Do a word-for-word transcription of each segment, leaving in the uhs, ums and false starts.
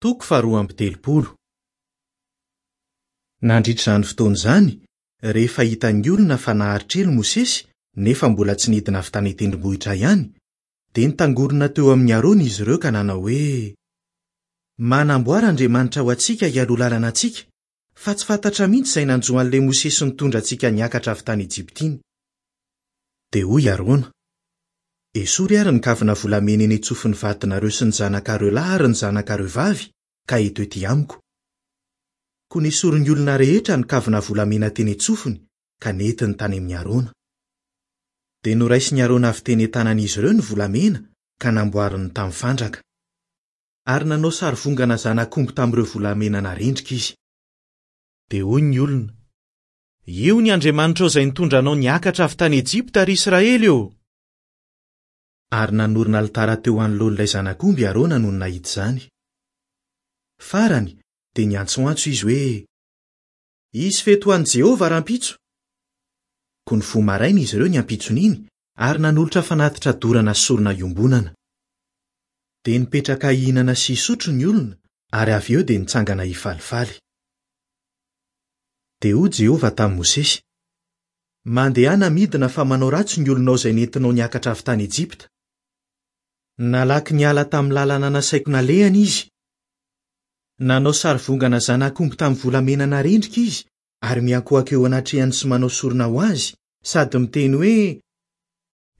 Toko faharoa amby telopolo. Nandritra izany fotoana izany, rehefa hitan'ny olona fa naharitra ela Mosesy nefa mbola tsy nidina avy tany an-tendrombohitra ihany, dia nitangorona teo amin'i Arona izy ireo ka nanao hoe: "Manamboara Andriamanitra ho antsika hialoha lalana antsika, fa tsy fantatra mihitsy izay nanjo an'ilay Mosesy nitondra antsika niakatra avy tany Ejipta iny." Dia hoy Arona: "Esory ary ny kavina volamena eny an-tsofin'ny vadinareo sy ny zanakareo lahy ary ny zanakareo vavy, ka eto ety amiko." Koa nesorin'ny olona rehetra ny kavina volamena teny an-tsofiny ka nentiny tany amin'i Arona. Dia noraisin'i Arona avy teny an-tanan'izy ireo ny volamena ka namboariny tamin'ny fandraka. Ary nanao sarivongana zanak'omby tamin'ireo volamena narendrika izy. Dia hoy ny olona: "Io ny Andriamanitrao izay nitondra anao niakatra avy tany Ejipta, ry Israely ô!" Ary nanorina alitara teo anoloan'ilay zanak'omby Arona nony nahita izany. Farany dia niantsoantso izy hoe: "Hisy fety ho an'i Jehovah rahampitso." Koa nifoha maraina izy ireo ny ampitson'iny ary nanolotra fanatitra dorana sy sorona iombonana. Dia nipetraka hihinana sy hisotro ny olona ary avy eo dia nitsangana hifalifaly. Dia hoy Jehovah tamin'i Mosesy: "Mandehana midina fa manao ratsy ny olonao izay nentinao niakatra avy tany Ejipta. Nalaky niala tamin'ny lalana nasaiko nalehany izy. Nanao sarivongana zanak'omby tamin'ny volamena narendrika izy ary miankohoka eo anatrehany sy manao sorona ho azy, sady miteny hoe: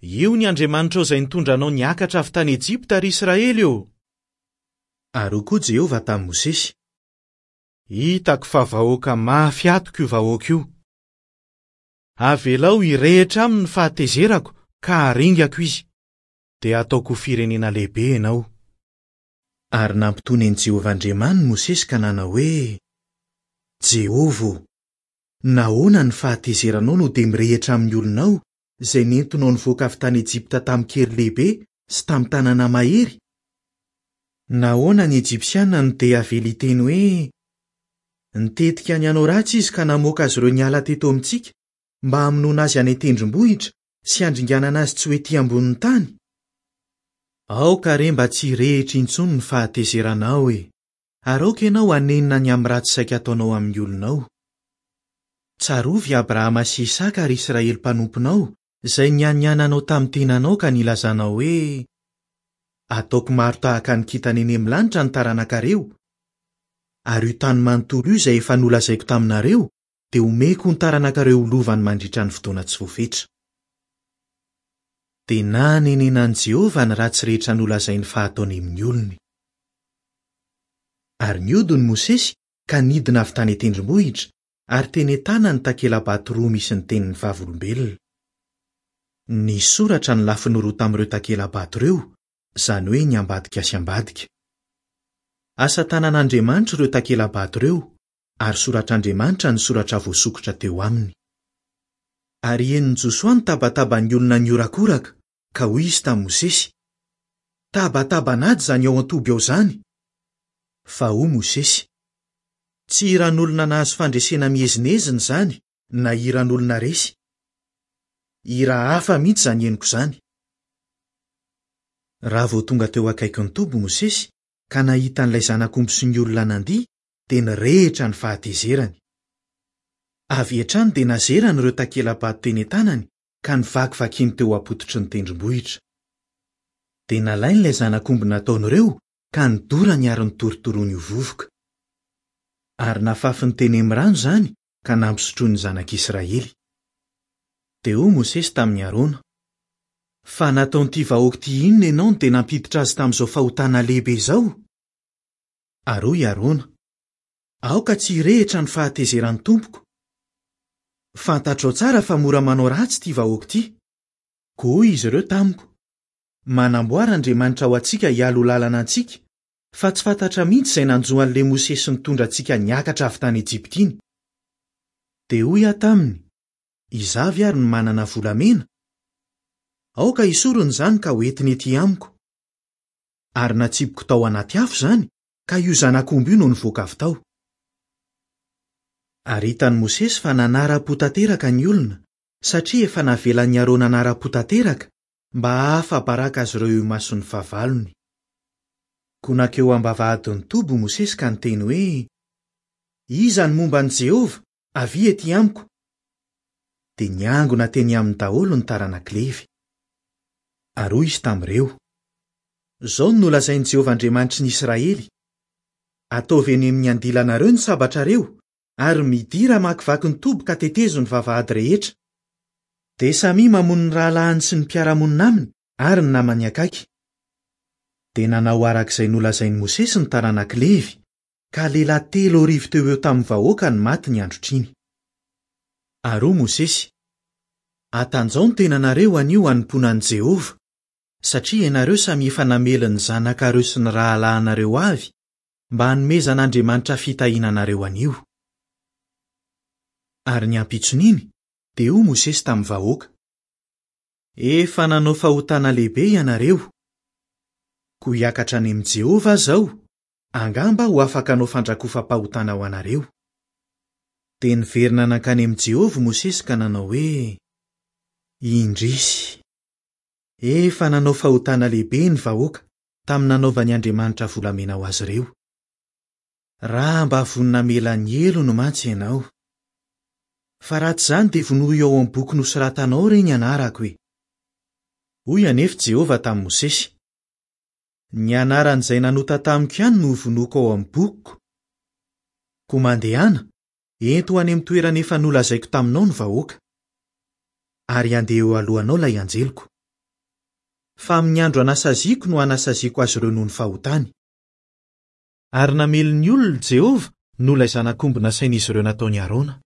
'Io ny Andriamanitrao izay nitondra anao niakatra avy tany Ejipta, ry Israely ô!' Ary hoy koa Jehovah tamin'i Mosesy: 'Hitako fa vahoaka mafy atoko io vahoaka io. Avelao hirehitra aminy ny fahatezerako ka haringako izy, dia hataoko ho firenena lehibe ianao." Ary nampitony an'i Jehovah Andriamaniny Mosesy ka nanao hoe: "Jehovah ô, nahoana ny fahatezeranao no dia mirehitra amin'ny olonao izay nentinao nivoaka avy tany Ejipta tamin-kery lehibe sy tamin'ny tanana mahery? Nahoana ny Ejipsiana no dia avela hiteny hoe: 'Nitetika ny hanao ratsy izy ka namoaka azy ireo niala teto amintsika mba hamonoana azy any an-tendrombohitra sy handringanana azy tsy ho ety ambonin'ny tany'? Aoka re mba tsy hirehitra intsony ny fahatezeranao e, ary aoka ianao hanenina ny amin'ny ratsy saika ataonao amin'ny olonao. Tsarovy Abrahama sy Isaka ary Israely mpanomponao izay nianiananao tamin'ny tenanao ka nilazanao hoe: 'Ataoko maro tahaka ny kintana eny amin'ny lanitra ny taranakareo, ary io tany manontolo io izay efa nolazaiko taminareo dia omeko ny taranakareo ho lovany mandritra ny fotoana tsy voafetra." Dia nanenenan'i Jehovah ny ratsy rehetra nolazainy fa hataony amin'ny olony. Ary nihodina Mosesy ka nidina avy tany an-tendrombohitra ary teny an-tanany takela-bato roa misy ny tenin'ny vavolombelona. Nisoratra ny lafiny roa tamin'ireo takela-bato ireo, izany hoe ny ambadika sy ambadika. Asa tanan'Andriamanitra ireo takela-bato ireo, ary soratr'Andriamanitra ny soratra voasokitra teo aminy. Ary henon'i Josoa ny tabataban'ny olona niorakoraka, ka hoy izy tamin'i Mosesy: "Tabataban'ady izany ao an-toby ao izany." Fa hoy Mosesy: "Tsy hiran'olona nahazo fandresena miezinezina izany na hiran'olona resy. Hira hafa mihitsy izany henoko izany." Raha vao tonga teo akaikin'ny toby Mosesy ka nahita an'ilay zanak'omby sy ny olona nandihy, dia nirehitra ny fahatezerany. Avy hatrany dia nazerany ireo takela-bato teny an-tanany ka nivakivakiny teo am-pototry ny tendrombohitra. Dia nalainy ilay zanak'omby nataon'ireo ka nidorany ary nitorotoroany ho vovoka. Ary nafafiny teny amin'ny rano izany ka nampisotroiny ny zanak'Israely. Dia hoy Mosesy tamin'i Arona: "Fa nataon'ity vahoaka ity inona ianao no dia nampiditra azy tamin'izao fahotana lehibe izao?" Ary hoy Arona: "Aoka tsy hirehitra ny fahatezeran'ny tompoko. Fantatrao tsara fa mora manao ratsy ity vahoaka ity. Koa hoy izy ireo tamiko: 'Manamboara Andriamanitra ho antsika hialoha lalana antsika, fa tsy fantatra mihitsy izay nanjo an'ilay Mosesy nitondra antsika niakatra avy tany Ejipta iny." Dia hoy aho taminy: 'Izaho avy ary no manana volamena? Aoka hisorona izany ka hoentiny ety amiko." Ary natsipiko tao anaty afo izany, ka io zanak'omby io no nivoaka avy tao. Ary hitan'i Mosesy fa nanara-po tanteraka ny olona, satria efa navelan'i Arona nanara-po tanteraka mba hahafa-baraka azy ireo eo imason'ny fahavalony. Koa nankeo am-bavahadin'ny toby Mosesy ka niteny hoe: "Iza no momba an'i Jehovah? Avia ety amiko." Dia niangona teny aminy daholo ny taranak'i Levy. Ary hoy izy tamin'ireo: "Izao no nolazain'i Jehovah Andriamanitry ny Israely: Ataovy eny amin'ny andilanareo ny sabatrareo, ary midira hamakivaky ny toby ka tetezo ny vavahady rehetra. Dia samia mamono ny rahalahiny sy ny mpiara-monina aminy ary ny namany akaiky." Dia nanao araka izay nolazain'i Mosesy ny taranak'i Levy, ka lehilahy telo arivo teo eo tamin'ny vahoaka no maty ny androtr'iny. Ary hoy Mosesy: "Atanjao ny tenanareo anio hanompoana an'i Jehovah, satria ianareo samy efa namely ny zanakareo sy ny rahalahinareo avy mba hanomezan'Andriamanitra fitahiana anareo anio." Ary ny ampitson'iny dia hoy Mosesy tamin'ny vahoaka: "Efa nanao fahotana lehibe ianareo. Koa hiakatra any amin'i Jehovah aho izao, angamba ho afaka hanao fandrakofam-pahotana ho anareo." Dia niverina nankany amin'i Jehovah Mosesy ka nanao hoe: "Indrisy, efa nanao fahotana lehibe ny vahoaka tamin'ny nanaovan'ny Andriamanitra volamena ho azy ireo. Raha mba vonona hamela ny helony mantsy ianao. Fa raha tsy izany dia vonoy ao amin'ny boky nosoratanao re ny anarako e." Hoy anefa Jehovah tamin'i Mosesy: "Ny anaran'izay nanota tamiko ihany no hovonoiko ao amin'ny bokiko. Koa mandehana, ento any amin'ny toerana efa nolazaiko taminao ny vahoaka. Ary handeha eo alohanao ilay anjeliko. Fa amin'ny andro anasaziako no anasaziako azy ireo noho ny fahotany." Ary namely ny olona Jehovah noho ilay zanak'omby nasain'izy ireo nataon'i Arona.